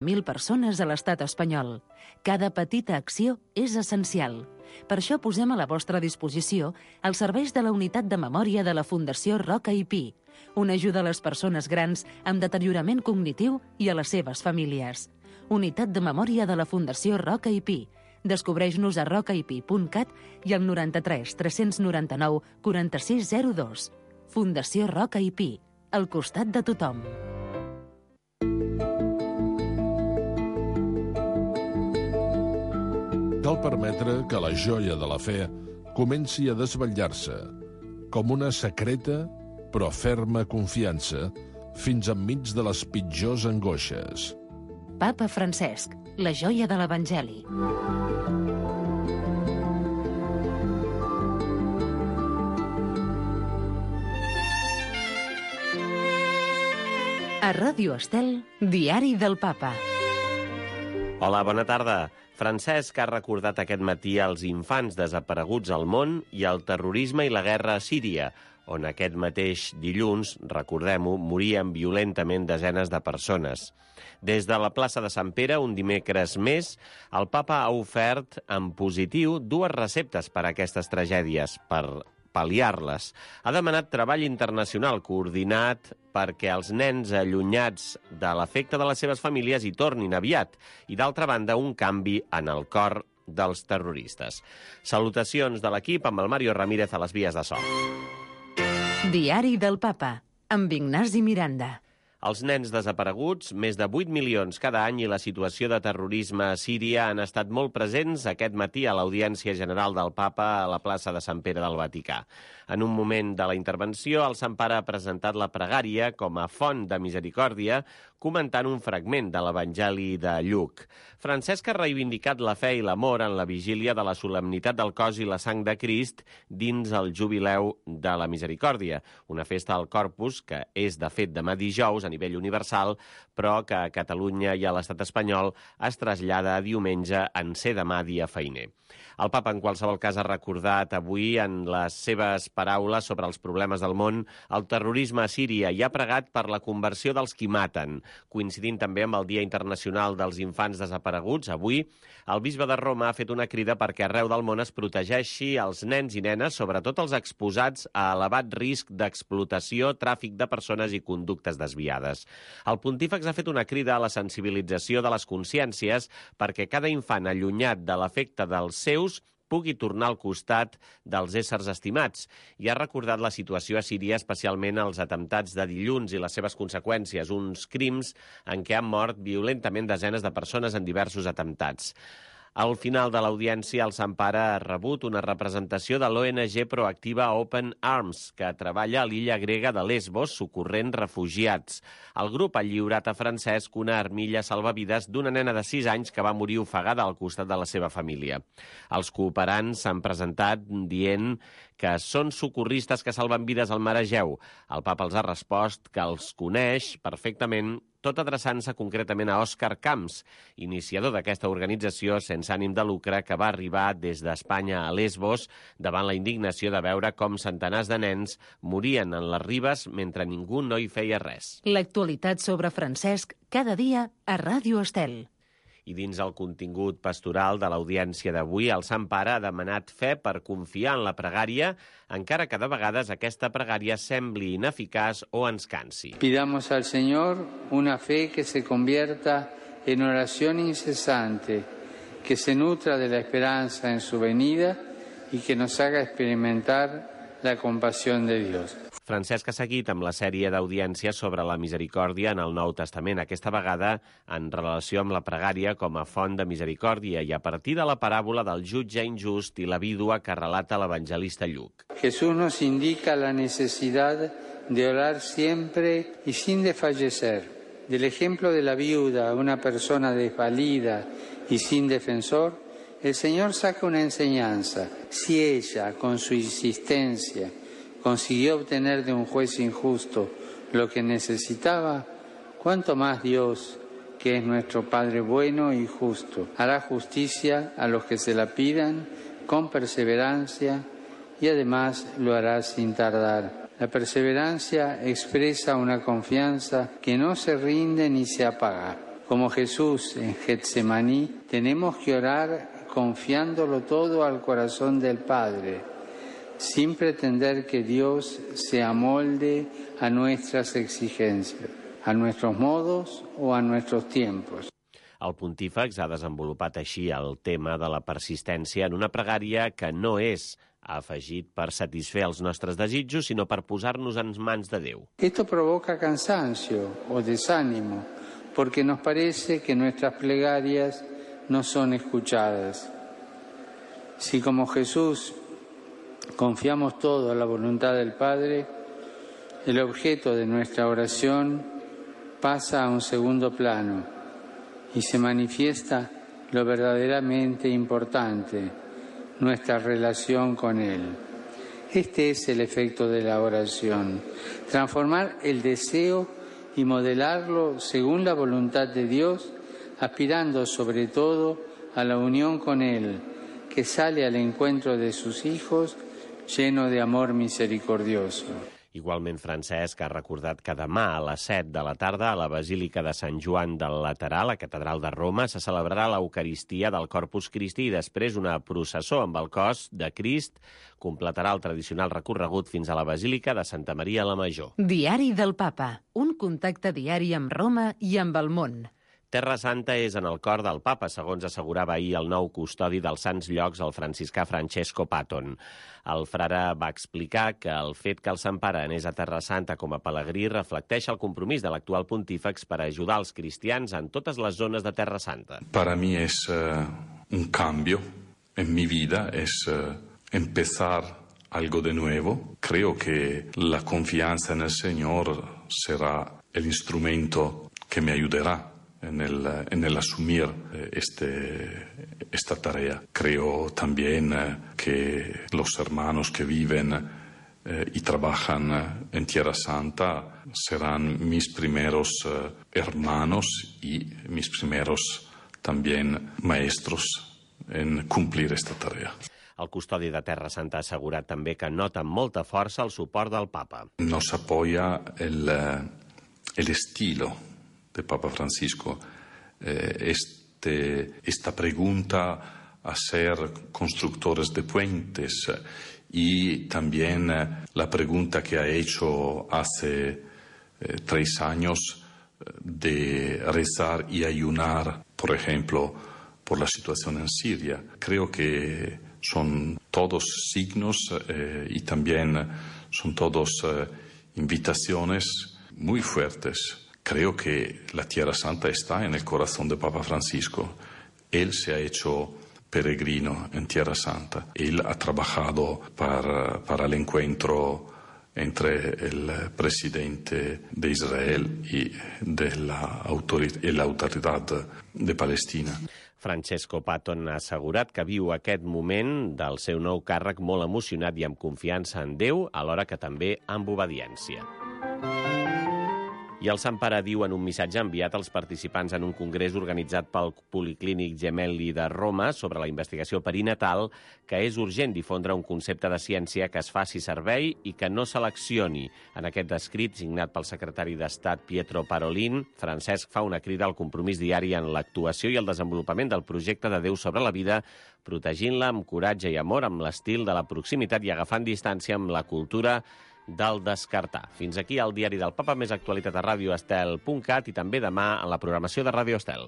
1.000 persones a l'estat espanyol. Cada petita acció és essencial. Per això posem a la vostra disposició els serveis de la unitat de memòria de la Fundació Roca i Pi, una ajuda a les persones grans amb deteriorament cognitiu i a les seves famílies. Unitat de memòria de la Fundació Roca i Pi. Descobreix-nos a rocaipi.cat i al 93 399 4602. Fundació Roca i Pi, al costat de tothom. Cal permetre que la joia de la fe comenci a desvetllar-se, com una secreta però ferma confiança, fins enmig de les pitjors angoixes. Papa Francesc, la joia de l'Evangeli. A Ràdio Estel, Diari del Papa. Hola, bona tarda. Francesc ha recordat aquest matí els infants desapareguts al món i el terrorisme i la guerra a Síria, on aquest mateix dilluns, recordem-ho, morien violentament desenes de persones. Des de la plaça de Sant Pere, un dimecres més, el papa ha ofert en positiu 2 receptes per a aquestes tragèdies, per pal·liar-les. Ha demanat treball internacional coordinat perquè els nens allunyats de l'afecte de les seves famílies hi tornin aviat i, d'altra banda, un canvi en el cor dels terroristes. Salutacions de l'equip amb el Mario Ramírez a les vies de so. Diari del Papa, amb Ignasi Miranda. Els nens desapareguts, més de 8 milions cada any, i la situació de terrorisme a Síria han estat molt presents aquest matí a l'Audiència General del Papa a la plaça de Sant Pere del Vaticà. En un moment de la intervenció, el Sant Pare ha presentat la pregària com a font de misericòrdia, comentant un fragment de l'Evangeli de Lluc. Francesc ha reivindicat la fe i l'amor en la vigília de la solemnitat del cos i la sang de Crist dins el Jubileu de la Misericòrdia, una festa al Corpus que és, de fet, demà dijous a nivell universal, però que a Catalunya i a l'estat espanyol es trasllada a diumenge en ser demà dia feiner. El papa, en qualsevol cas, ha recordat avui en les seves paraules sobre els problemes del món el terrorisme a Síria i ha pregat per la conversió dels qui maten. Coincidint també amb el Dia Internacional dels Infants Desapareguts, avui, el bisbe de Roma ha fet una crida perquè arreu del món es protegeixi els nens i nenes, sobretot els exposats a elevat risc d'explotació, tràfic de persones i conductes desviades. El pontífex ha fet una crida a la sensibilització de les consciències perquè cada infant allunyat de l'afecte dels seus pugui tornar al costat dels éssers estimats i ha recordat la situació a Síria, especialment els atemptats de dilluns i les seves conseqüències, uns crims en què han mort violentament desenes de persones en diversos atemptats. Al final de l'audiència, el Sant Pare ha rebut una representació de l'ONG proactiva Open Arms, que treballa a l'illa grega de Lesbos, socorrent refugiats. El grup ha lliurat a Francesc una armilla salvavides d'una nena de 6 anys que va morir ofegada al costat de la seva família. Els cooperants s'han presentat dient que són socorristes que salven vides al mar Egeu. El papa els ha respost que els coneix perfectament, tot adreçant-se concretament a Òscar Camps, iniciador d'aquesta organització sense ànim de lucre que va arribar des d'Espanya a Lesbos davant la indignació de veure com centenars de nens morien en les ribes mentre ningú no hi feia res. L'actualitat sobre Francesc cada dia a Ràdio Estel. I dins el contingut pastoral de l'audiència d'avui, el Sant Pare ha demanat fe per confiar en la pregària, encara que de vegades aquesta pregària sembli ineficaç o ens cansi. Pidamos al Señor una fe que se convierta en oración incesante, que se nutra de la esperanza en su venida y que nos haga experimentar la compasión de Dios. Francesc ha seguit amb la sèrie d'audiències sobre la misericòrdia en el Nou Testament, aquesta vegada en relació amb la pregària com a font de misericòrdia i a partir de la paràbola del jutge injust i la vídua que relata l'evangelista Lluc. Jesús nos indica la necesidad de orar siempre y sin desfallecer. Del ejemplo de la viuda, una persona desvalida y sin defensor, el Señor saca una enseñanza. Si ella, con su insistencia, consiguió obtener de un juez injusto lo que necesitaba, cuánto más Dios, que es nuestro Padre bueno y justo, hará justicia a los que se la pidan con perseverancia y además lo hará sin tardar. La perseverancia expresa una confianza que no se rinde ni se apaga. Como Jesús en Getsemaní, tenemos que orar confiándolo todo al corazón del Padre, sin pretender que Dios se amolde a nuestras exigencias, a nuestros modos o a nuestros tiempos. El pontífex ha desenvolupat així el tema de la persistència en una pregària que no és, ha afegit, per satisfer els nostres desitjos, sinó per posar-nos en mans de Déu. Esto provoca cansancio o desánimo, porque nos parece que nuestras plegarias no son escuchadas. Si como Jesús confiamos todo a la voluntad del Padre, el objeto de nuestra oración pasa a un segundo plano y se manifiesta lo verdaderamente importante, nuestra relación con Él. Este es el efecto de la oración, transformar el deseo y modelarlo según la voluntad de Dios, aspirando sobre todo a la unión con Él, que sale al encuentro de sus hijos lleno de amor misericordioso. Igualment, Francesc ha recordat que demà a les 7 de la tarda a la Basílica de Sant Joan del Laterà, a la Catedral de Roma, se celebrarà l'Eucaristia del Corpus Christi i després una processó amb el cos de Crist completarà el tradicional recorregut fins a la Basílica de Santa Maria la Major. Diari del Papa, un contacte diari amb Roma i amb el món. Terra Santa és en el cor del papa, segons assegurava ahir el nou custodi dels Sants Llocs, el franciscà Francesco Patton. El frare va explicar que el fet que el Sant Pare anés a Terra Santa com a pelegrí reflecteix el compromís de l'actual pontífex per ajudar els cristians en totes les zones de Terra Santa. Para mí es un cambio en mi vida, es empezar algo de nuevo. Creo que la confianza en el Señor será el instrumento que me ayudará en el asumir esta tarea. Creo también que los hermanos que viven y trabajan en Tierra Santa serán mis primeros hermanos y mis primeros también maestros en cumplir esta tarea. El custodi de Terra Santa ha assegurat també que nota amb molta força el suport del papa. Nos apoya el estilo de Papa Francisco, esta pregunta a ser constructores de puentes y también la pregunta que ha hecho hace 3 años de rezar y ayunar, por ejemplo, por la situación en Siria. Creo que son todos signos y también son todos invitaciones muy fuertes. Creo que la Tierra Santa está en el corazón de Papa Francisco. Él se ha hecho peregrino en Tierra Santa. Él ha trabajado para el encuentro entre el presidente de Israel y la autoridad de Palestina. Francesco Patton ha assegurat que viu aquest moment del seu nou càrrec molt emocionat i amb confiança en Déu, alhora que també amb obediència. I el Sant Pare diu en un missatge enviat als participants en un congrés organitzat pel Policlínic Gemelli de Roma sobre la investigació perinatal que és urgent difondre un concepte de ciència que es faci servei i que no seleccioni. En aquest escrit, signat pel secretari d'Estat Pietro Parolin, Francesc fa una crida al compromís diari en l'actuació i el desenvolupament del projecte de Déu sobre la vida, protegint-la amb coratge i amor, amb l'estil de la proximitat i agafant distància amb la cultura del descartar. Fins aquí el Diari del Papa, més actualitat a radioestel.cat i també demà en la programació de Radio Estel.